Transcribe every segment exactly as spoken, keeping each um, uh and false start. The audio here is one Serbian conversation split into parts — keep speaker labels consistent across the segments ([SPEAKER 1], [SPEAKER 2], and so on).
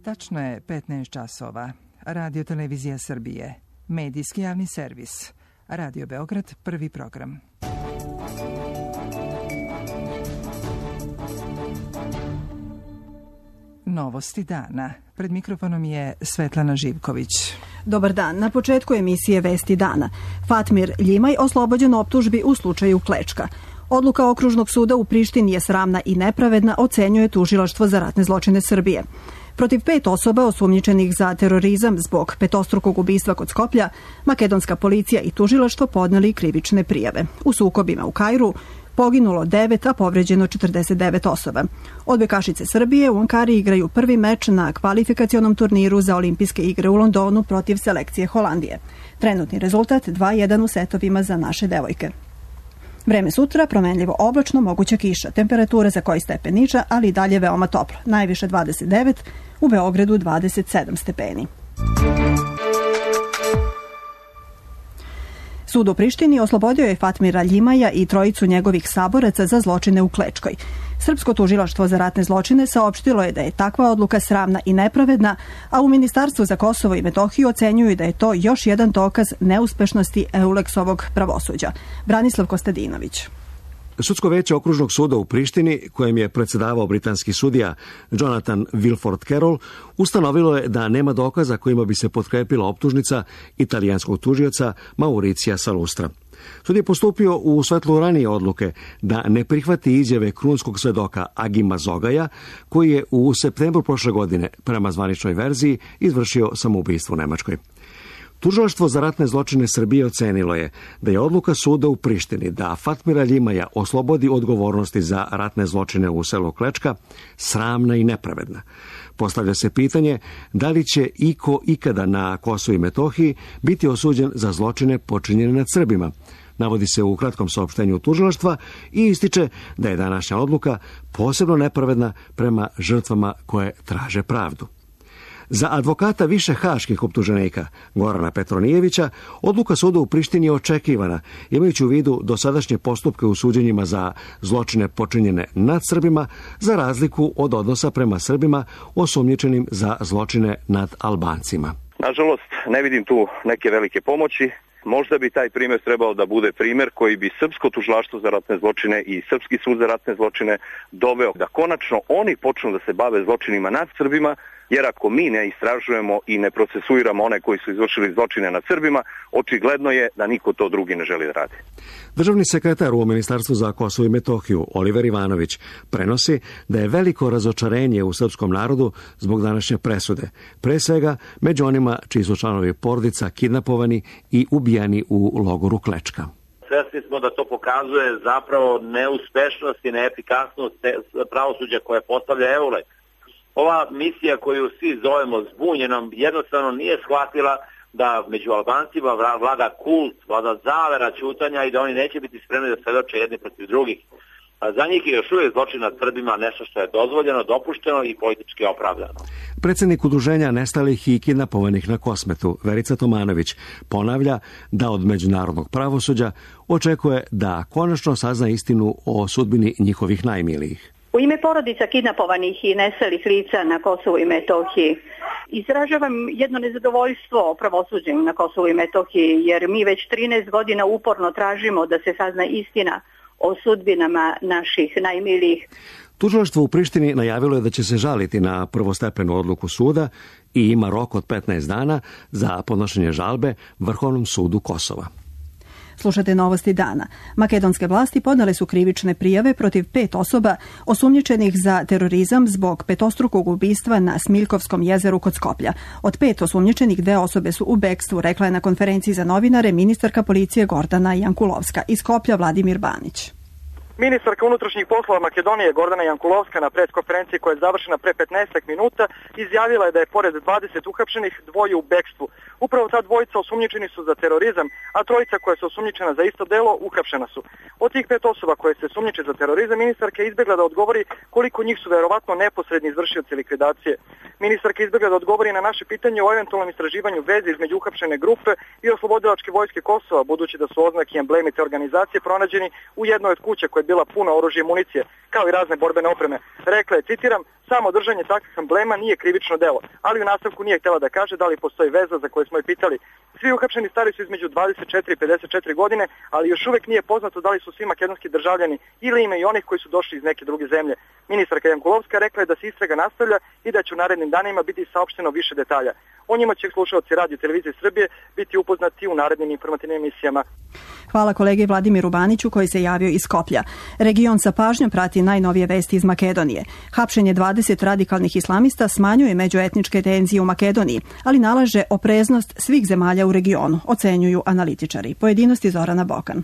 [SPEAKER 1] Tačno je petnaest časova. Radio Televizija Srbije. Medijski javni servis. Radio Beograd, prvi program. Novosti dana. Pred mikrofonom je Svetlana Živković.
[SPEAKER 2] Dobar dan. Na početku emisije Vesti dana. Fatmir Ljimaj oslobođen optužbi u slučaju Klečka. Odluka Okružnog suda u Prištini je sramna i nepravedna, ocenjuje Tužilaštvo za ratne zločine Srbije. Protiv pet osoba osumnjičenih za terorizam zbog petostrukog ubistva kod Skoplja, makedonska policija i tužilaštvo podneli krivične prijave. U sukobima u Kairu poginulo devet, a povređeno četrdeset devet osoba. Odbojkašice Srbije u Ankari igraju prvi meč na kvalifikacionom turniru za olimpijske igre u Londonu protiv selekcije Holandije. Trenutni rezultat dva jedan u setovima za naše devojke. Vreme sutra, promenljivo oblačno, moguća kiša. Temperatura za koji stepen niža, ali i dalje veoma toplo. Najviše dvadeset devet, u Beogradu dvadeset sedam stepeni. Sud u Prištini oslobodio je Fatmira Ljimaja i trojicu njegovih saboraca za zločine u Klečkoj. Srpsko tužilaštvo za ratne zločine saopštilo je da je takva odluka sramna i nepravedna, a u Ministarstvu za Kosovo i Metohiju ocenjuju da je to još jedan dokaz neuspešnosti Euleksovog pravosuđa. Branislav Kostadinović.
[SPEAKER 3] Sudsko veće Okružnog suda u Prištini, kojem je predsedavao britanski sudija Jonathan Wilford Carroll, ustanovilo je da nema dokaza kojima bi se potkrepila optužnica italijanskog tužioca Mauricija Salustra. Sud je postupio u svetlu ranije odluke da ne prihvati izjave krunskog svedoka Agima Zogaja, koji je u septembru prošle godine, prema zvaničnoj verziji, izvršio samoubistvo u Nemačkoj. Tužilaštvo za ratne zločine Srbije ocenilo je da je odluka suda u Prištini da Fatmira Ljimaja oslobodi odgovornosti za ratne zločine u selu Klečka sramna i nepravedna. Postavlja se pitanje da li će iko ikada na Kosovu i Metohiji biti osuđen za zločine počinjene nad Srbima. Navodi se u kratkom saopštenju tužilaštva i ističe da je današnja odluka posebno nepravedna prema žrtvama koje traže pravdu. Za advokata više haških optuženika, Gorana Petronijevića, odluka suda u Prištini je očekivana, imajući u vidu dosadašnje postupke u suđenjima za zločine počinjene nad Srbima, za razliku od odnosa prema Srbima osumnjičenim za zločine nad Albancima.
[SPEAKER 4] Nažalost, ne vidim tu neke velike pomoći. Možda bi taj primjer trebao da bude primjer koji bi Srpsko tužilaštvo za ratne zločine i Srpski sud za ratne zločine doveo da konačno oni počnu da se bave zločinima nad Srbima, jer ako mi ne istražujemo i ne procesuiramo one koji su izvršili zločine nad Srbima, očigledno je da niko to drugi ne želi da radi.
[SPEAKER 3] Državni sekretar u Ministarstvu za Kosovo i Metohiju, Oliver Ivanović, prenosi da je veliko razočarenje u srpskom narodu zbog današnje presude, pre svega među onima čiji su članovi porodica kidnapovani i ubijani u logoru Klečka.
[SPEAKER 5] Svesni smo da to pokazuje zapravo neuspešnost i neefikasnost pravosuđa koje postavlja Euleks. Ova misija koju svi zovemo zbunjenom jednostavno nije shvatila da među Albancima vlada kult, vlada zavera ćutanja i da oni neće biti spremni da svedoče jedni protiv drugih. A za njih je još uvijek zločin nad Srbima nešto što je dozvoljeno, dopušteno i politički opravdano.
[SPEAKER 3] Predsjednik udruženja nestalih i kidnapovanih na Kosmetu, Verica Tomanović, ponavlja da od međunarodnog pravosuđa očekuje da konačno sazna istinu o sudbini njihovih najmilijih.
[SPEAKER 6] U ime porodica kidnapovanih i nestalih lica na Kosovu i Metohiji izražavam jedno nezadovoljstvo pravosuđem na Kosovu i Metohiji, jer mi već trinaest godina uporno tražimo da se sazna istina o sudbinama naših najmilijih.
[SPEAKER 3] Tužilaštvo u Prištini najavilo je da će se žaliti na prvostepenu odluku suda i ima rok od petnaest dana za podnošenje žalbe Vrhovnom sudu Kosova.
[SPEAKER 2] Slušate novosti dana. Makedonske vlasti podale su krivične prijave protiv pet osoba osumnjičenih za terorizam zbog petostrukog ubistva na Smiljkovskom jezeru kod Skoplja. Od pet osumnjičenih dve osobe su u bekstvu, rekla je na konferenciji za novinare ministarka policije Gordana Jankulovska. Iz Skoplja Vladimir Banić.
[SPEAKER 7] Ministarka unutrašnjih poslova Makedonije Gordana Jankulovska na preskonferenciji koja je završena pre petnaest minuta izjavila je da je pored dvadeset uhapšenih dvoje u bekstvu. Upravo ta dvojica osumnjičeni su za terorizam, a trojica koja su osumnjičena za isto delo uhapšena su. Od tih pet osoba koje se sumnjiče za terorizam, ministarka je izbjegla da odgovori koliko njih su verovatno neposredni izvršioci likvidacije. Ministarka je izbjegla da odgovori na naše pitanje o eventualnom istraživanju veze između uhapšene grupe i oslobodilačke vojske Kosova, budući da su oznaki i emblemi te organizacije pronađeni u jednoj od kuća koje bila puna oružja i municije, kao i razne borbene opreme. Rekla je, citiram, samo držanje takvih emblema nije krivično delo, ali u nastavku nije htjela da kaže da li postoji veza za koju smo je pitali. Svi uhapšeni stari su između dvadeset četiri i pedeset četiri godine, ali još uvek nije poznato da li su svi makedonski državljani ili ima i onih koji su došli iz neke druge zemlje. Ministarka Jankulovska rekla je da se istraga nastavlja i da će u narednim danima biti saopšteno više detalja. O njima će slušaoci Radio Televizije Srbije biti upoznati u narednim informativnim emisijama.
[SPEAKER 2] Hvala kolegi Vladimiru Baniću koji se javio iz Skoplja. Region sa pažnjom prati najnovije vesti iz Makedonije. Hapšenje dvadeset radikalnih islamista smanjuje međuetničke tenzije u Makedoniji, ali nalaže opreznost svih zemalja u regionu, ocenjuju analitičari. Pojedinosti Zorana Bokan.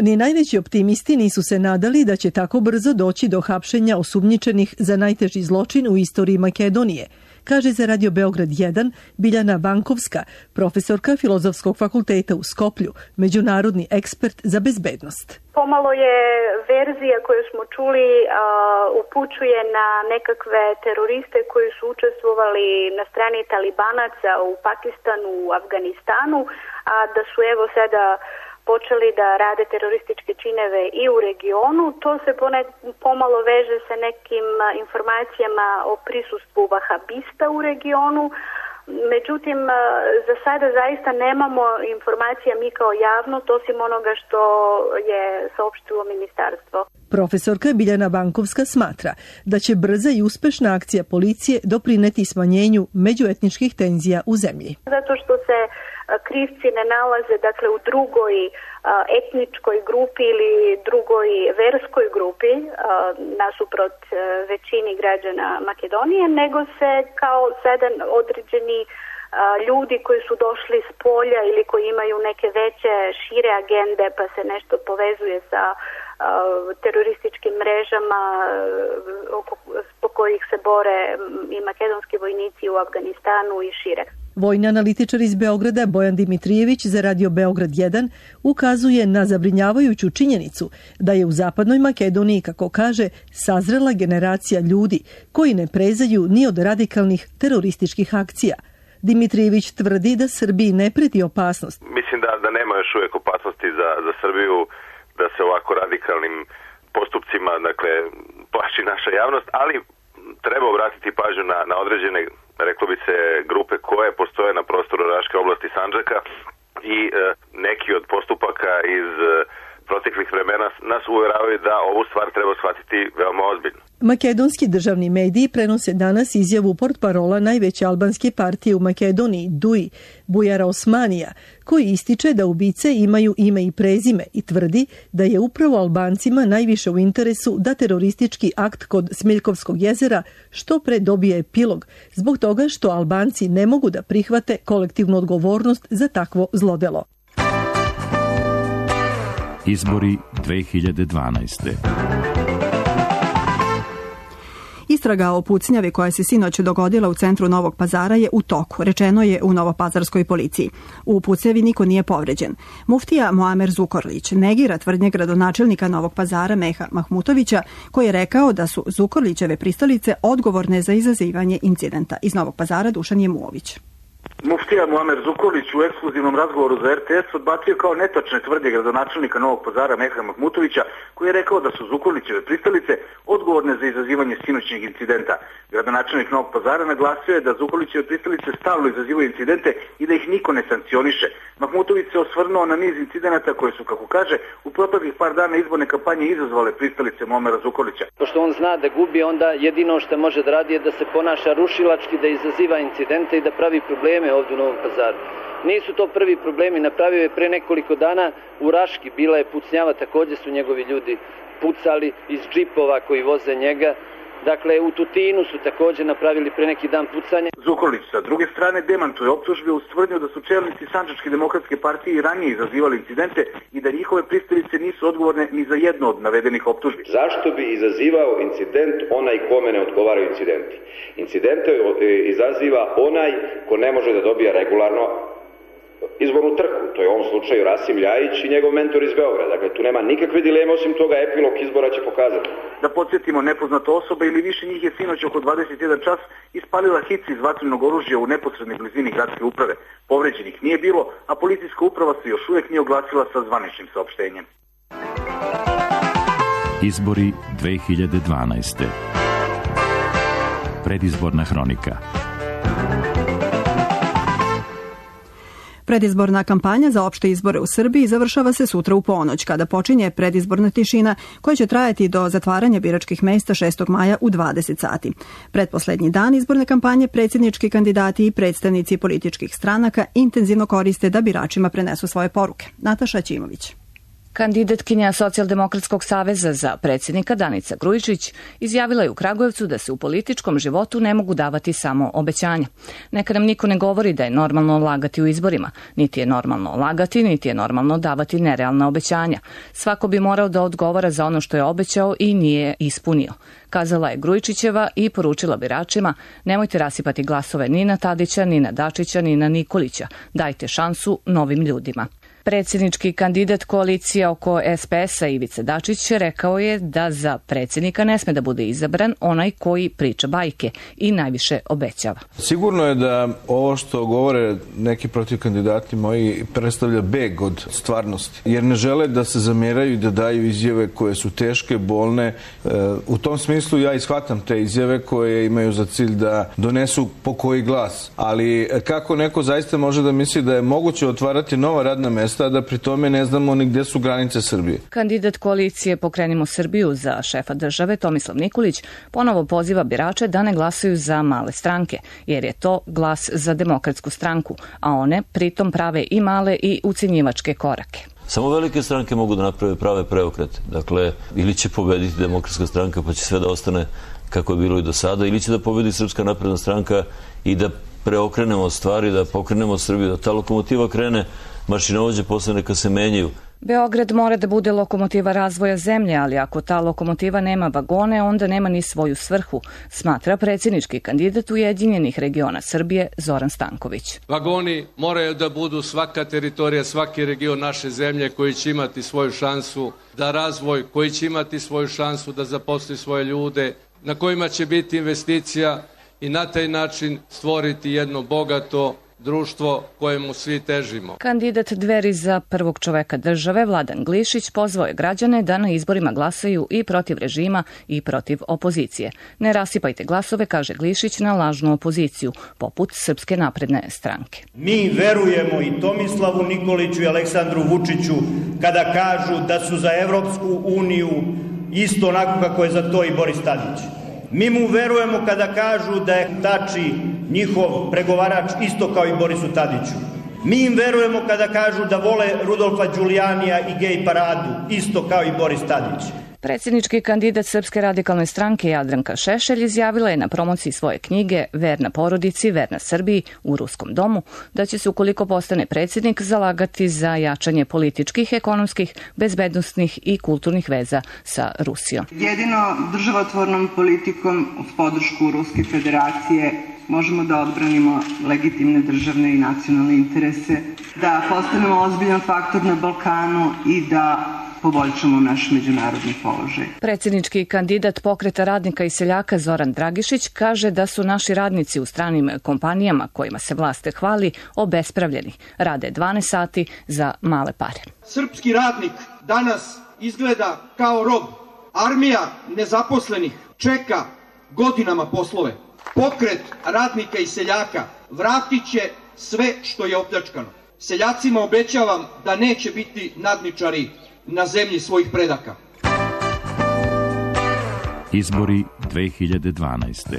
[SPEAKER 8] Ni najveći optimisti nisu se nadali da će tako brzo doći do hapšenja osumnjičenih za najteži zločin u istoriji Makedonije, kaže za Radio Beograd jedan Biljana Bankovska, profesorka Filozofskog fakulteta u Skoplju, međunarodni ekspert za bezbednost.
[SPEAKER 9] Pomalo je verzija koju smo čuli uh, upućuje na nekakve teroriste koji su učestvovali na strani talibanaca u Pakistanu, u Afganistanu, a da su evo sada počeli da rade terorističke čineve i u regionu. To se ponek, pomalo veže sa nekim informacijama o prisustvu vahabista u regionu. Međutim, za sada zaista nemamo informacija mi kao javnost, osim onoga što je saopštilo ministarstvo.
[SPEAKER 8] Profesorka Biljana Bankovska smatra da će brza i uspešna akcija policije doprineti smanjenju međuetničkih tenzija u zemlji.
[SPEAKER 9] Zato što se krivci ne nalaze dakle u drugoj etničkoj grupi ili drugoj verskoj grupi nasuprot većini građana Makedonije, nego se kao sada određeni ljudi koji su došli s polja ili koji imaju neke veće, šire agende pa se nešto povezuje sa terorističkim mrežama po kojih se bore i makedonski vojnici u Afganistanu i šire.
[SPEAKER 8] Vojni analitičar iz Beograda Bojan Dimitrijević za Radio Beograd jedan ukazuje na zabrinjavajuću činjenicu da je u zapadnoj Makedoniji, kako kaže, sazrela generacija ljudi koji ne prezaju ni od radikalnih terorističkih akcija. Dimitrijević tvrdi da Srbiji ne preti opasnost.
[SPEAKER 10] Mislim da, da nema još uvijek opasnosti za, za Srbiju, da se ovako radikalnim postupcima, dakle, plaši naša javnost, ali treba obratiti pažnju na, na određene, reklo bi se, grupe koje postoje na prostoru Raške oblasti Sandžaka i e, neki od postupaka iz e, proteklih vremena nas uvjeravaju da ovu stvar treba shvatiti veoma ozbiljno.
[SPEAKER 8] Makedonski državni mediji prenose danas izjavu portparola najveće albanske partije u Makedoniji, D U I, Bujara Osmanija, koji ističe da ubice imaju ime i prezime i tvrdi da je upravo Albancima najviše u interesu da teroristički akt kod Smiljkovskog jezera što pre dobije epilog, zbog toga što Albanci ne mogu da prihvate kolektivnu odgovornost za takvo zlodelo.
[SPEAKER 11] Izbori dve hiljade dvanaeste.
[SPEAKER 2] Istraga o pucnjavi koja se sinoć dogodila u centru Novog Pazara je u toku, rečeno je u novopazarskoj policiji. U pucnjavi niko nije povređen. Muftija Muamer Zukorlić negira tvrdnje gradonačelnika Novog Pazara Meha Mahmutovića, koji je rekao da su Zukorlićeve pristalice odgovorne za izazivanje incidenta. Iz Novog Pazara Dušan Jemuović.
[SPEAKER 12] Muftija Muamer Zukorlić u ekskluzivnom razgovoru za R T S odbacio kao netačne tvrdnje gradonačelnika Novog Pazara Meha Mahmutovića, koji je rekao da su Zukorlićeve pristalice odgovorne za izazivanje sinoćnjeg incidenta. Gradonačelnik Novog Pazara naglasio je da Zukorlićeve pristalice stalno izazivaju incidente i da ih niko ne sankcioniše. Mahmutović se osvrnuo na niz incidenata koje su, kako kaže, u proteklih par dana izborne kampanje izazvale pristalice Muamera Zukorlića.
[SPEAKER 13] Pošto on zna da gubi, onda jedino što može da radi je da se ponaša rušilački, da izaziva incidente i da pravi probleme ovdje u Novom Pazaru. Nisu to prvi problemi, napravio je pre nekoliko dana u Raški, bila je pucnjava, također su njegovi ljudi pucali iz džipova koji voze njega. Dakle, u Tutinu su također napravili pre neki dan pucanje.
[SPEAKER 12] Zukorlić sa druge strane demantuje optužbe uz tvrdnju da su čelnici Sandžačke demokratske partije i ranije izazivali incidente i da njihove pristalice nisu odgovorne ni za jedno od navedenih optužbi.
[SPEAKER 14] Zašto bi izazivao incident onaj kome ne odgovaraju incidenti? Incidente izaziva onaj ko ne može da dobija regularno izbornu trku. To je u ovom slučaju Rasim Ljajić i njegov mentor iz Beograda. Dakle, tu nema nikakve dileme, osim toga epilog izbora će pokazati.
[SPEAKER 12] Da podsjetimo, nepoznata osoba ili više njih je sinoć oko dvadeset jedan čas ispalila hic iz vatrenog oružja u neposrednoj blizini gradske uprave. Povređenih nije bilo, a policijska uprava se još uvijek nije oglasila sa zvaničnim saopštenjem.
[SPEAKER 11] Izbori dve hiljade dvanaeste. Predizborna hronika.
[SPEAKER 2] Predizborna kampanja za opšte izbore u Srbiji završava se sutra u ponoć, kada počinje predizborna tišina koja će trajati do zatvaranja biračkih mesta šestog maja u dvadeset sati. Pretposlednji dan izborne kampanje predsjednički kandidati i predstavnici političkih stranaka intenzivno koriste da biračima prenesu svoje poruke. Nataša Ćimović.
[SPEAKER 15] Kandidatkinja Socijaldemokratskog saveza za predsjednika Danica Grujičić izjavila je u Kragujevcu da se u političkom životu ne mogu davati samo obećanja. Neka nam niko ne govori da je normalno lagati u izborima. Niti je normalno lagati, niti je normalno davati nerealna obećanja. Svako bi morao da odgovara za ono što je obećao i nije ispunio. Kazala je Grujičićeva i poručila biračima: nemojte rasipati glasove ni na Tadića, ni na Dačića, ni na Nikolića. Dajte šansu novim ljudima. Predsjednički kandidat koalicije oko es pe es-a Ivica Dačić rekao je da za predsjednika ne sme da bude izabran onaj koji priča bajke i najviše obećava.
[SPEAKER 16] Sigurno je da ovo što govore neki protiv kandidati moji predstavlja beg od stvarnosti, jer ne žele da se zamjeraju i da daju izjave koje su teške, bolne. U tom smislu ja ishvatam te izjave koje imaju za cilj da donesu pokoji glas. Ali kako neko zaista može da misli da je moguće otvarati nova radna mesta, da pri tome ne znamo ni gde su granice Srbije.
[SPEAKER 15] Kandidat koalicije Pokrenimo Srbiju za šefa države Tomislav Nikolić ponovo poziva birače da ne glasaju za male stranke, jer je to glas za Demokratsku stranku, a one pritom prave i male i ucenjivačke korake.
[SPEAKER 17] Samo velike stranke mogu da naprave prave preokrete. Dakle, ili će pobediti Demokratska stranka pa će sve da ostane kako je bilo i do sada, ili će da pobedi Srpska napredna stranka i da preokrenemo stvari, da pokrenemo Srbiju, da ta lokomotiva krene, mašinovođe posle neka se menjaju.
[SPEAKER 15] Beograd mora da bude lokomotiva razvoja zemlje, ali ako ta lokomotiva nema vagone, onda nema ni svoju svrhu, smatra predsjednički kandidat Ujedinjenih regiona Srbije Zoran Stanković.
[SPEAKER 18] Vagoni moraju da budu svaka teritorija, svaki region naše zemlje koji će imati svoju šansu da razvoj, koji će imati svoju šansu da zaposli svoje ljude, na kojima će biti investicija i na taj način stvoriti jedno bogato društvo kojemu svi težimo.
[SPEAKER 15] Kandidat Dveri za prvog čoveka države Vladan Glišić pozvao je građane da na izborima glasaju i protiv režima i protiv opozicije. Ne rasipajte glasove, kaže Glišić, na lažnu opoziciju, poput Srpske napredne stranke.
[SPEAKER 19] Mi verujemo i Tomislavu Nikoliću i Aleksandru Vučiću kada kažu da su za Evropsku uniju isto onako kako je za to i Boris Tadić. Mi mu verujemo kada kažu da je Tači njihov pregovarač isto kao i Borisu Tadiću. Mi im verujemo kada kažu da vole Rudolfa Đulijanija i gej paradu isto kao i Boris Tadić.
[SPEAKER 15] Predsjednički kandidat Srpske radikalne stranke Jadranka Šešelj izjavila je na promociji svoje knjige Verna porodici, verna Srbiji u Ruskom domu da će se, ukoliko postane predsjednik, zalagati za jačanje političkih, ekonomskih, bezbednosnih i kulturnih veza sa Rusijom.
[SPEAKER 20] Jedino državotvornom politikom uz podršku Ruske federacije možemo da odbranimo legitimne državne i nacionalne interese, da postanemo ozbiljan faktor na Balkanu i da poboljšamo naš međunarodni položaj.
[SPEAKER 15] Predsjednički kandidat Pokreta radnika i seljaka Zoran Dragišić kaže da su naši radnici u stranim kompanijama kojima se vlast hvali obespravljeni. Rade dvanaest sati za male pare.
[SPEAKER 21] Srpski radnik danas izgleda kao rob. Armija nezaposlenih čeka godinama poslove. Pokret radnika i seljaka vratit će sve što je opljačkano. Seljacima obećavam da neće biti nadničari na zemlji svojih predaka.
[SPEAKER 11] Izbori dve hiljade dvanaeste.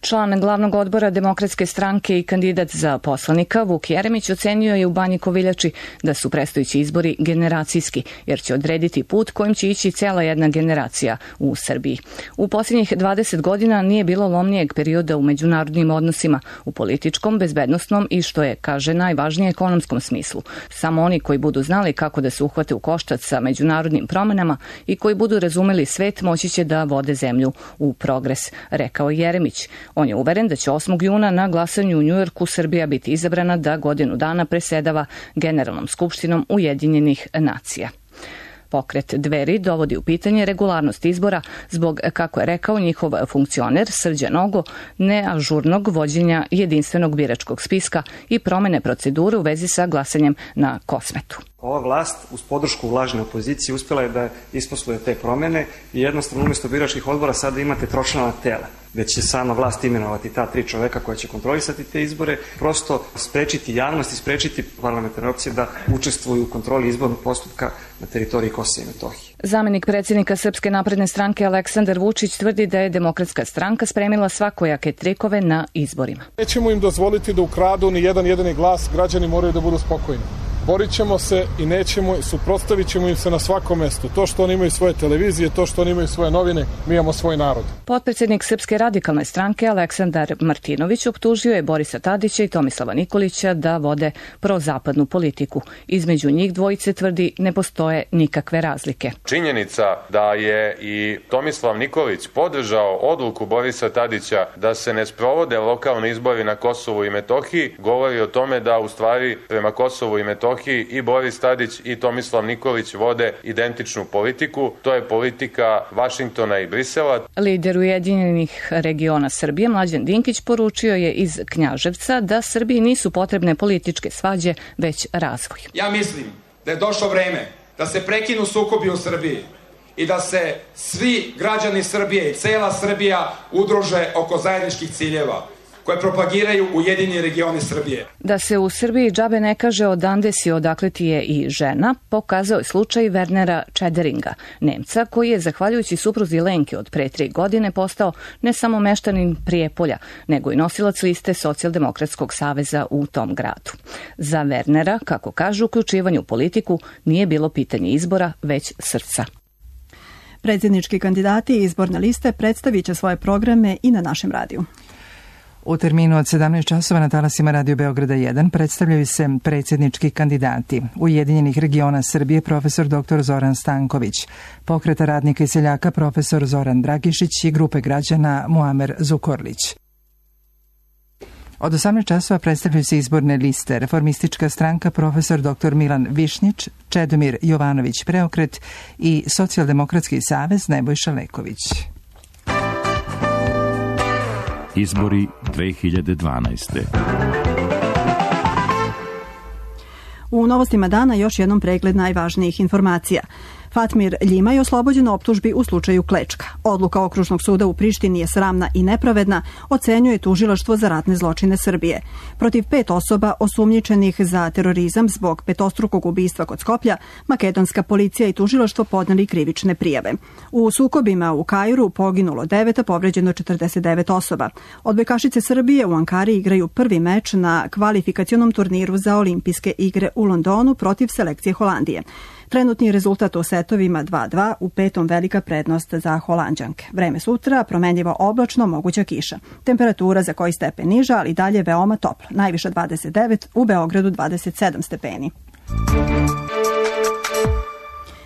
[SPEAKER 15] Član glavnog odbora Demokratske stranke i kandidat za poslanika Vuk Jeremić ocenio je u Banji Koviljači da su predstojeći izbori generacijski, jer će odrediti put kojim će ići cela jedna generacija u Srbiji. U posljednjih dvadeset godina nije bilo lomnijeg perioda u međunarodnim odnosima, u političkom, bezbednosnom i, što je, kaže, najvažnije, ekonomskom smislu. Samo oni koji budu znali kako da se uhvate u koštac sa međunarodnim promenama i koji budu razumeli svet moći će da vode zemlju u progres, rekao Jeremić. On je uveren da će osmog juna na glasanju u Njujorku Srbija biti izabrana da godinu dana presedava Generalnom skupštinom Ujedinjenih nacija. Pokret Dveri dovodi u pitanje regularnost izbora zbog, kako je rekao njihov funkcioner Srđan Nogo, neažurnog vođenja jedinstvenog biračkog spiska i promene procedure u vezi sa glasanjem na Kosmetu.
[SPEAKER 1] Ova vlast uz podršku vlažne opozicije uspjela je da isposluje te promene i jednostavno umjesto biračkih odbora sada imate tročlana tela, gde će sama vlast imenovati ta tri čoveka koja će kontrolisati te izbore, prosto sprečiti javnost i sprečiti parlamentarne opcije da učestvuju u kontroli izbornog postupka na teritoriji Kosova i Metohije.
[SPEAKER 15] Zamenik predsjednika Srpske napredne stranke Aleksandar Vučić tvrdi da je Demokratska stranka spremila svakojake trikove na izborima.
[SPEAKER 22] Nećemo im dozvoliti da ukradu ni jedan jedini glas, građani moraju da budu spokojni. Borit ćemo se i nećemo, suprotstavit ćemo im se na svakom mestu. To što oni imaju svoje televizije, to što oni imaju svoje novine, mi imamo svoj narod.
[SPEAKER 15] Potpredsjednik Srpske radikalne stranke Aleksandar Martinović optužio je Borisa Tadića i Tomislava Nikolića da vode prozapadnu politiku. Između njih dvojice tvrdi ne postoje nikakve razlike.
[SPEAKER 23] Činjenica da je i Tomislav Nikolić podržao odluku Borisa Tadića da se ne sprovode lokalni izbori na Kosovu i Metohiji govori o tome da u stvari prema Kosovu i Metohiji i Boris Tadić i Tomislav Nikolić vode identičnu politiku. To je politika Vašingtona i Brisela.
[SPEAKER 15] Lider Ujedinjenih regiona Srbije Mlađan Dinkić poručio je iz Knjaževca da Srbiji nisu potrebne političke svađe, već razvoj.
[SPEAKER 24] Ja mislim da je došlo vreme da se prekinu sukobi u Srbiji i da se svi građani Srbije i cela Srbija udruže oko zajedničkih ciljeva koje propagiraju Ujedinjeni regioni Srbije.
[SPEAKER 15] Da se u Srbiji džabe ne kaže odande si odakle ti je i žena, pokazao je slučaj Wernera Čederinga, Nemca koji je, zahvaljujući supruzi Lenke od pre tri godine, postao ne samo meštanin Prijepolja, nego i nosilac liste Socijaldemokratskog saveza u tom gradu. Za Wernera, kako kažu, uključivanje u politiku nije bilo pitanje izbora, već srca.
[SPEAKER 2] Predsjednički kandidati i izborne liste predstavit će svoje programe i na našem radiju.
[SPEAKER 25] U terminu od sedamnaest časova na talasima Radio Beograda jedan predstavljaju se predsjednički kandidati Ujedinjenih regiona Srbije profesor doktor Zoran Stanković, Pokreta radnika i seljaka profesor Zoran Dragišić i grupe građana Muamer Zukorlić. Od osamnaest časova predstavljaju se izborne liste Reformistička stranka profesor doktor Milan Višnjić, Čedomir Jovanović Preokret i Socijaldemokratski savez Nebojša Leković.
[SPEAKER 11] Izbori dve hiljade dvanaeste.
[SPEAKER 2] U novostima dana još jednom pregled najvažnijih informacija. Fatmir Ljimaj oslobođen optužbi u slučaju Klečka. Odluka Okružnog suda u Prištini je sramna i nepravedna, ocenjuje tužilaštvo za ratne zločine Srbije. Protiv pet osoba osumnjičenih za terorizam zbog petostrukog ubistva kod Skoplja, makedonska policija i tužilaštvo podneli krivične prijave. U sukobima u Kairu poginulo devet, a povređeno četrdeset devet osoba. Odbojkašice Srbije u Ankari igraju prvi meč na kvalifikacionom turniru za olimpijske igre u Londonu protiv selekcije Holandije. Trenutni rezultat u setovima dva dva, u petom velika prednost za Holanđanke. Vreme sutra, promenljivo oblačno, moguća kiša. Temperatura za koji stepen niža, ali dalje veoma toplo. Najviša dvadeset devet, u Beogradu dvadeset sedam stepeni.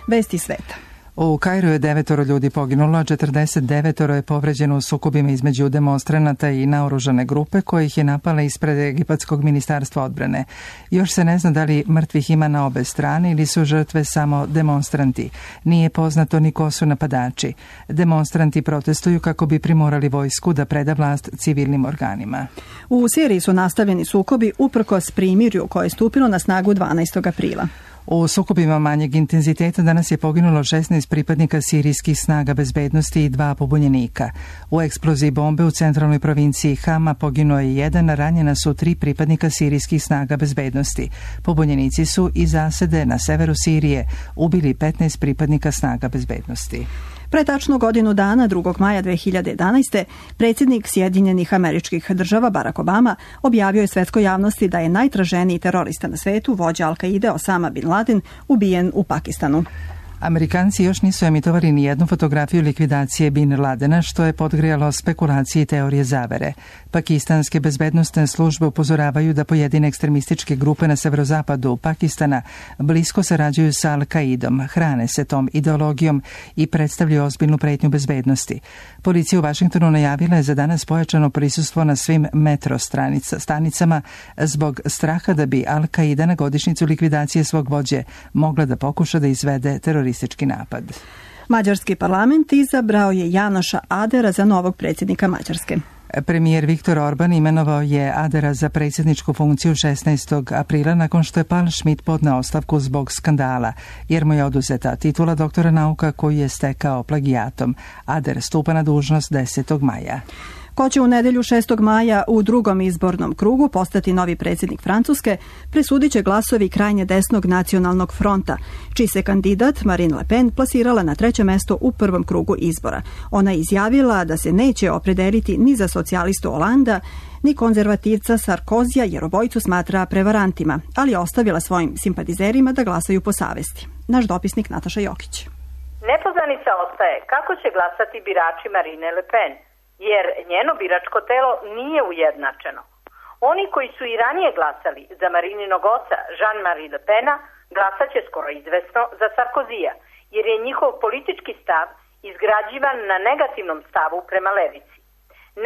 [SPEAKER 2] Vesti sveta.
[SPEAKER 25] U Kairu je devetoro ljudi poginulo, a četrdeset devetoro je povređeno u sukobima između demonstranata i naoružane grupe kojih je napala ispred Egipatskog ministarstva odbrane. Još se ne zna da li mrtvih ima na obe strane ili su žrtve samo demonstranti. Nije poznato ni ko su napadači. Demonstranti protestuju kako bi primorali vojsku da preda vlast civilnim organima.
[SPEAKER 2] U Siriji su nastavljeni sukobi uprkos primirju koje je stupilo na snagu dvanaestog aprila.
[SPEAKER 25] U sukobima manjeg intenziteta danas je poginulo šesnaest pripadnika sirijskih snaga bezbednosti i dva pobunjenika. U eksploziji bombe u centralnoj provinciji Hama poginuo je jedan, a ranjena su tri pripadnika sirijskih snaga bezbednosti. Pobunjenici su iz zasede na severu Sirije ubili petnaest pripadnika snaga bezbednosti.
[SPEAKER 2] Pre tačno godinu dana, drugog maja dve hiljade jedanaeste. predsjednik Sjedinjenih Američkih Država Barack Obama objavio je svetskoj javnosti da je najtraženiji terorista na svetu, vođa Al-Kaide Osama bin Laden, ubijen u Pakistanu.
[SPEAKER 25] Amerikanci još nisu emitovali ni jednu fotografiju likvidacije Bin Ladena, što je podgrijalo spekulacije i teorije zavere. Pakistanske bezbednosne službe upozoravaju da pojedine ekstremističke grupe na severozapadu Pakistana blisko sarađuju sa Al-Kaidom, hrane se tom ideologijom i predstavljaju ozbiljnu pretnju bezbednosti. Policija u Vašingtonu najavila je za danas pojačano prisustvo na svim metro stanicama zbog straha da bi Al-Kaida na godišnjicu likvidacije svog vođe mogla da pokuša da izvede teroristički teroristički napad.
[SPEAKER 2] Mađarski parlament izabrao je Janoša Adera za novog predsjednika Mađarske.
[SPEAKER 25] Premijer Viktor Orban imenovao je Adera za predsjedničku funkciju šesnaestog aprila nakon što je Paul Schmidt podneo ostavku zbog skandala, jer mu je oduzeta titula doktora nauka koju je stekao plagijatom. Ader stupa na dužnost desetog maja.
[SPEAKER 2] Ko će u nedelju šestog maja u drugom izbornom krugu postati novi predsjednik Francuske, presudit će glasovi krajnje desnog nacionalnog fronta, čiji se kandidat Marine Le Pen plasirala na treće mesto u prvom krugu izbora. Ona je izjavila da se neće opredeliti ni za socijalistu Holanda, ni konzervativca Sarkozija, jer obojicu smatra prevarantima, ali je ostavila svojim simpatizerima da glasaju po savesti. Naš dopisnik Nataša Jokić.
[SPEAKER 3] Nepoznanica ostaje kako će glasati birači Marine Le Pen, jer njeno biračko telo nije ujednačeno. Oni koji su i ranije glasali za Marininog oca Jean-Marie Le Pena glasat će skoro izvesno za Sarkozija, jer je njihov politički stav izgrađivan na negativnom stavu prema levici.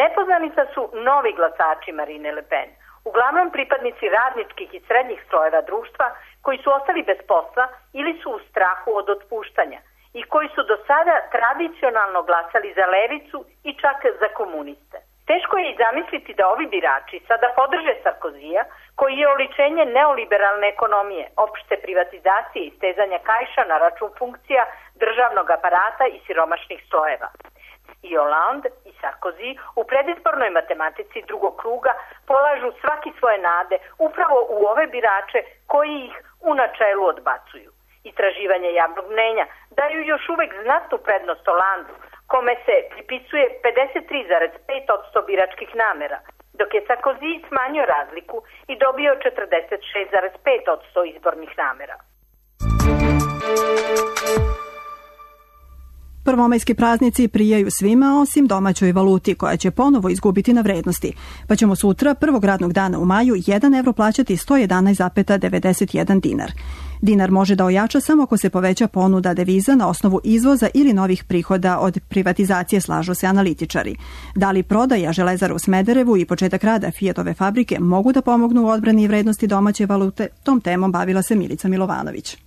[SPEAKER 3] Nepoznanica su novi glasači Marine Le Pen, uglavnom pripadnici radničkih i srednjih slojeva društva koji su ostali bez posla ili su u strahu od otpuštanja i koji su do sada tradicionalno glasali za levicu i čak za komuniste. Teško je i zamisliti da ovi birači sada podrže Sarkozija, koji je oličenje neoliberalne ekonomije, opšte privatizacije i stezanja kaiša na račun funkcija državnog aparata i siromašnih slojeva. I Hollande i Sarkozy u predizbornoj matematici drugog kruga polažu svaki svoje nade upravo u ove birače koji ih u načelu odbacuju. Istraživanje javnog mnenja daju još uvek znatnu prednost Hollandu, kome se pripisuje pedeset tri zarez pet posto biračkih namera, dok je Sarkozy smanjio razliku i dobio četrdeset šest zarez pet posto izbornih namera.
[SPEAKER 2] Prvomajski praznici prijaju svima osim domaćoj valuti koja će ponovo izgubiti na vrednosti, pa ćemo sutra prvog radnog dana u maju jedan evro plaćati sto jedanaest zarez devedeset jedan dinar. Dinar može da ojača samo ako se poveća ponuda deviza na osnovu izvoza ili novih prihoda od privatizacije, slažu se analitičari. Da li prodaja Železara u Smederevu i početak rada Fiatove fabrike mogu da pomognu u odbrani vrednosti domaće valute, tom temom bavila se Milica Milovanović.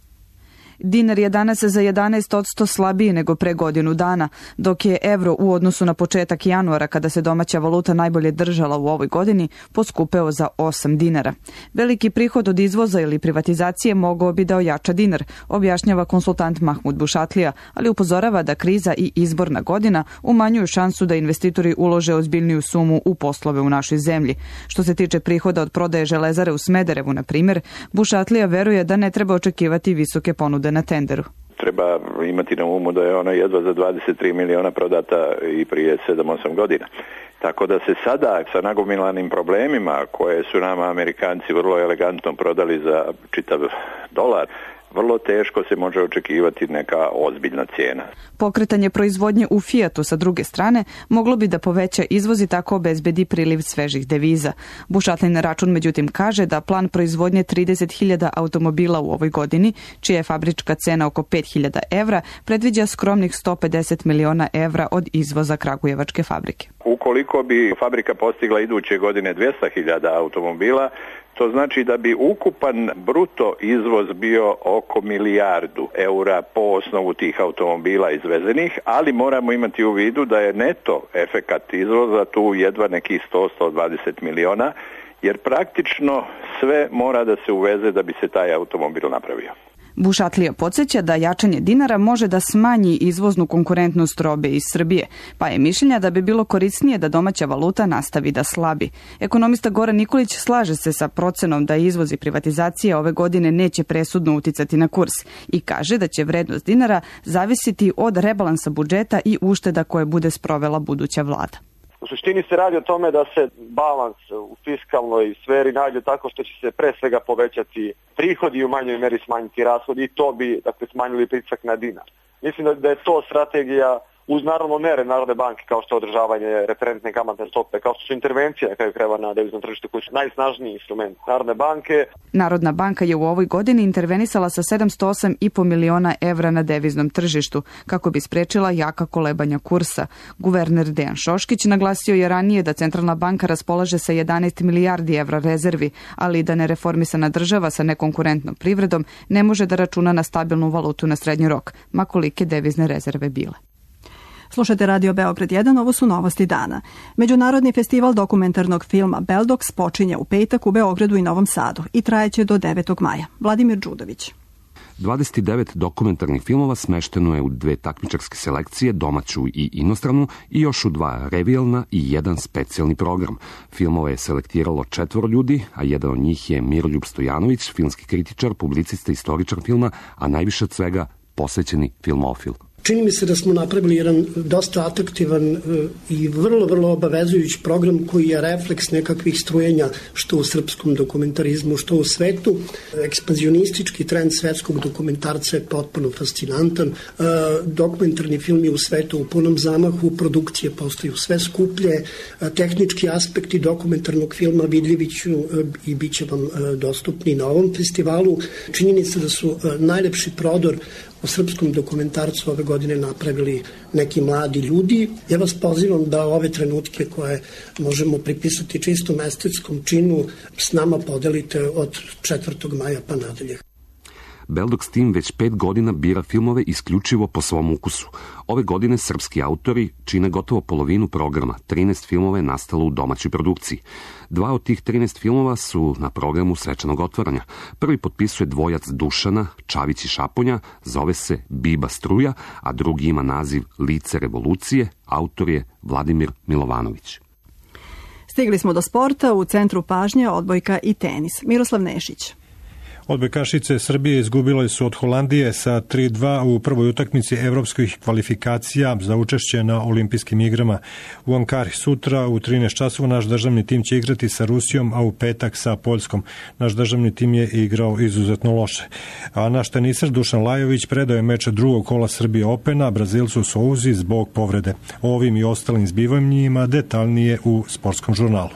[SPEAKER 4] Dinar je danas za jedanaest posto slabiji nego pre godinu dana, dok je evro u odnosu na početak januara, kada se domaća valuta najbolje držala u ovoj godini, poskupeo za osam dinara. Veliki prihod od izvoza ili privatizacije mogao bi da ojača dinar, objašnjava konsultant Mahmud Bušatlija, ali upozorava da kriza i izborna godina umanjuju šansu da investitori ulože ozbiljniju sumu u poslove u našoj zemlji. Što se tiče prihoda od prodaje Železare u Smederevu, na primjer, Bušatlija veruje da ne treba očekivati visoke ponude na tenderu.
[SPEAKER 5] Treba imati na umu da je ona jedva za dvadeset tri miliona prodata i prije sedam osam godina. Tako da se sada sa nagomilanim problemima koje su nama Amerikanci vrlo elegantno prodali za čitav dolar, vrlo teško se može očekivati neka ozbiljna cijena.
[SPEAKER 4] Pokretanje proizvodnje u Fiatu sa druge strane moglo bi da poveća izvoz i tako obezbedi priliv svežih deviza. Bušatlin na račun međutim kaže da plan proizvodnje trideset hiljada automobila u ovoj godini, čija je fabrička cena oko pet hiljada evra, predviđa skromnih sto pedeset miliona evra od izvoza kragujevačke fabrike.
[SPEAKER 5] Ukoliko bi fabrika postigla iduće godine dvjesto hiljada automobila, to znači da bi ukupan bruto izvoz bio oko milijardu eura po osnovu tih automobila izvezenih, ali moramo imati u vidu da je neto efekat izvoza tu jedva nekih sto do sto dvadeset miliona, jer praktično sve mora da se uveze da bi se taj automobil napravio.
[SPEAKER 4] Bušatlija podsjeća da jačanje dinara može da smanji izvoznu konkurentnost robe iz Srbije, pa je mišljenja da bi bilo korisnije da domaća valuta nastavi da slabi. Ekonomista Goran Nikolić slaže se sa procenom da izvoz i privatizacija ove godine neće presudno uticati na kurs i kaže da će vrednost dinara zavisiti od rebalansa budžeta i ušteda koje bude sprovela buduća vlada.
[SPEAKER 6] U suštini se radi o tome da se balans u fiskalnoj sferi nađe tako što će se pre svega povećati prihodi i u manjoj meri smanjiti rashodi i to bi dakle, smanjili pritisak na dinar. Mislim da, da je to strategija uz naravno mere Narodne banke kao što je održavanje referentne kamatne stope, kao što su intervencije na kraju krajeva na deviznom tržištu koji su najsnažniji instrument Narodne banke.
[SPEAKER 4] Narodna banka je u ovoj godini intervenisala sa sedamsto osam i po miliona evra na deviznom tržištu kako bi sprečila jaka kolebanja kursa. Guverner Dejan Šoškić naglasio je ranije da Centralna banka raspolaže sa jedanaest milijardi evra rezervi, ali da nereformisana država sa nekonkurentnom privredom ne može da računa na stabilnu valutu na srednji rok, ma kolike devizne rezerve bile.
[SPEAKER 2] Slušajte Radio Beograd jedan, ovo su novosti dana. Međunarodni festival dokumentarnog filma Beldox počinje u petak u Beogradu i Novom Sadu i trajeće do devetog maja. Vladimir Đudović.
[SPEAKER 7] dvadeset devet dokumentarnih filmova smešteno je u dve takmičarske selekcije, domaću i inostranu, i još u dva revijalna i jedan specijalni program. Filmove je selektiralo četvoro ljudi, a jedan od njih je Miroljub Stojanović, filmski kritičar, publicista, istoričar filma, a najviše od svega posvećeni filmofil.
[SPEAKER 8] Čini mi se da smo napravili jedan dosta atraktivan i vrlo, vrlo obavezujući program koji je refleks nekakvih strujenja što u srpskom dokumentarizmu, što u svetu. Ekspanzionistički trend svetskog dokumentarca je potpuno fascinantan. Dokumentarni filmi u svetu u punom zamahu, produkcije postaju sve skuplje, tehnički aspekti dokumentarnog filma vidljivi ću i bit će vam dostupni na ovom festivalu. Činjenica da su najlepši prodor u srpskom dokumentarcu ove godine napravili neki mladi ljudi. Ja vas pozivam da ove trenutke koje možemo pripisati čistom estetskom činu s nama podelite od četvrtog maja pa nadalje.
[SPEAKER 7] Beldox tim već pet godina bira filmove isključivo po svom ukusu. Ove godine srpski autori čine gotovo polovinu programa. trinaest filmova je nastalo u domaćoj produkciji. Dva od tih trinaest filmova su na programu svečanog otvaranja. Prvi potpisuje dvojac Dušana, Čavić i Šaponja, zove se Biba struja, a drugi ima naziv Lice revolucije, autor je Vladimir Milovanović.
[SPEAKER 2] Stigli smo do sporta, u centru pažnje odbojka i tenis. Miroslav Nešić.
[SPEAKER 9] Odbojkašice Srbije izgubile su od Holandije sa tri dva u prvoj utakmici evropskih kvalifikacija za učešće na olimpijskim igrama. U Ankari sutra u trinaest časova naš državni tim će igrati sa Rusijom, a u petak sa Poljskom. Naš državni tim je igrao izuzetno loše. A naš teniser Dušan Lajović predao je meč drugog kola Srbije Opena Brazilcu Souzi zbog povrede. O ovim i ostalim zbivanjima detaljnije u Sportskom žurnalu.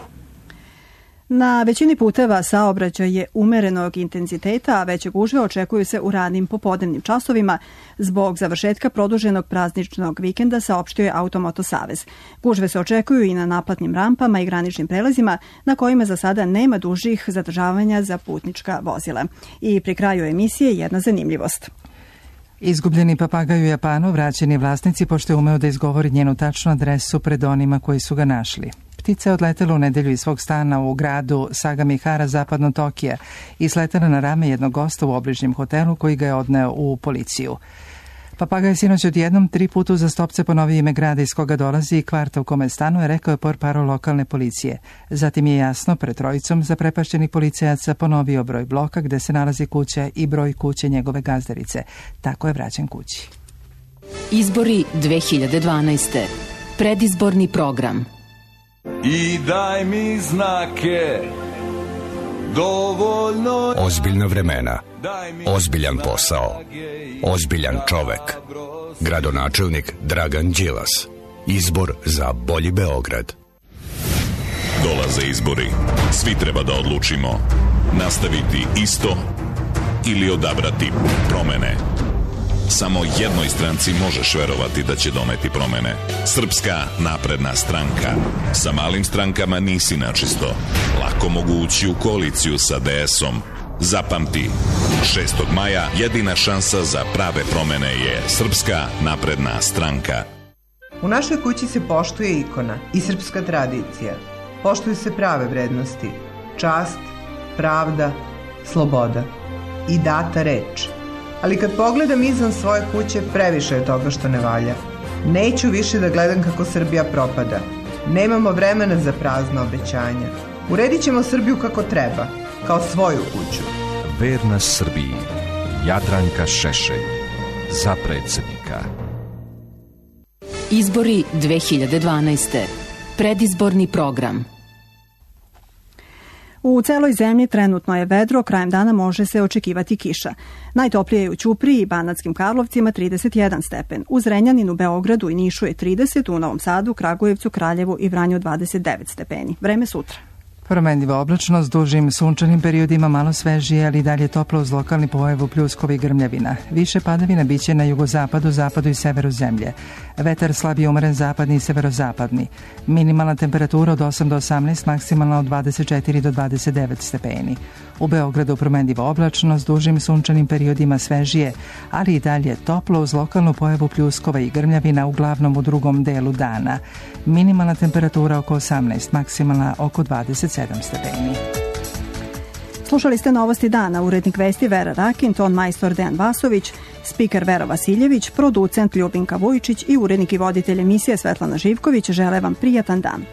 [SPEAKER 2] Na većini puteva saobraćaj je umerenog intenziteta, a veće gužve očekuju se u ranim popodnevnim časovima zbog završetka produženog prazničnog vikenda, saopštio je Automoto Savez. Gužve se očekuju i na naplatnim rampama i graničnim prelazima na kojima za sada nema dužih zadržavanja za putnička vozila. I pri kraju emisije jedna zanimljivost.
[SPEAKER 25] Izgubljeni papagaj u Japanu vraćeni vlasnici pošto je umeo da izgovori njenu tačnu adresu pred onima koji su ga našli. Ptica je odletela u nedelju iz svog stana u gradu Sagamihara, zapadno Tokija, i sletela na rame jednog gosta u obližnjem hotelu koji ga je odneo u policiju. Papagaj sinoć odjednom tri puta uzastopce ponovio ime grada iz koga dolazi i kvarta u kome stanuje, rekao je portparol lokalne policije. Zatim je jasno pred trojicom zaprepašćenih policajaca ponovio broj bloka gde se nalazi kuća i broj kuće njegove gazdarice. Tako je vraćen kući.
[SPEAKER 10] Izbori dve hiljade dvanaeste. Predizborni program.
[SPEAKER 13] I daj mi znake, dovoljno...
[SPEAKER 26] Ozbiljna vremena, ozbiljan posao, ozbiljan čovek. Gradonačelnik Dragan Đilas. Izbor za bolji Beograd.
[SPEAKER 27] Dolaze izbori. Svi treba da odlučimo. Nastaviti isto ili odabrati promene. Samo jednoj stranci možeš verovati da će doneti promene. Srpska napredna stranka. Sa malim strankama nisi načisto. Lako mogu ući u koaliciju sa de esom. Zapamti, šestog maja jedina šansa za prave promene je Srpska napredna stranka.
[SPEAKER 28] U našoj kući se poštuje ikona i srpska tradicija. Poštuju se prave vrednosti. Čast, pravda, sloboda i data reč. Ali kad pogledam izvan svoje kuće, previše je toga što ne valja. Neću više da gledam kako Srbija propada. Nemamo vremena za prazna obećanja. Uredit ćemo Srbiju kako treba, kao svoju kuću.
[SPEAKER 11] Verna Srbiji. Jadranka Šešelj. Za predsjednika.
[SPEAKER 10] Izbori dve hiljade dvanaeste. Predizborni program.
[SPEAKER 2] U celoj zemlji trenutno je vedro, krajem dana može se očekivati kiša. Najtoplije je u Ćupriji i Banatskim Karlovcima trideset jedan stepen, u Zrenjaninu, Beogradu i Nišu je trideset, u Novom Sadu, Kragujevcu, Kraljevu i Vranju dvadeset devet stepeni. Vreme sutra.
[SPEAKER 25] Promenljiva oblačnost, dužim sunčanim periodima malo svežije, ali dalje toplo uz lokalni pojavu pljuskova i grmljavina. Više padavina biće na jugozapadu, zapadu i severu zemlje. Vetar slabije umeren zapadni i severozapadni. Minimalna temperatura od osam do osamnaest, maksimalna od dvadeset četiri do dvadeset devet stepeni. U Beogradu promenljiva oblačnost, dužim sunčanim periodima svežije, ali i dalje toplo uz lokalnu pojavu pljuskova i grmljavina, uglavnom u drugom delu dana. Minimalna temperatura oko osamnaest, maksimalna oko dvadeset sedam stepeni.
[SPEAKER 2] Slušali ste Novosti dana, urednik vesti Vera Rakin, ton majstor Dejan Vasović, spiker Vera Vasiljević, producent Ljubinka Vujičić i urednik i voditelj emisije Svetlana Živković. Žele vam prijatan dan.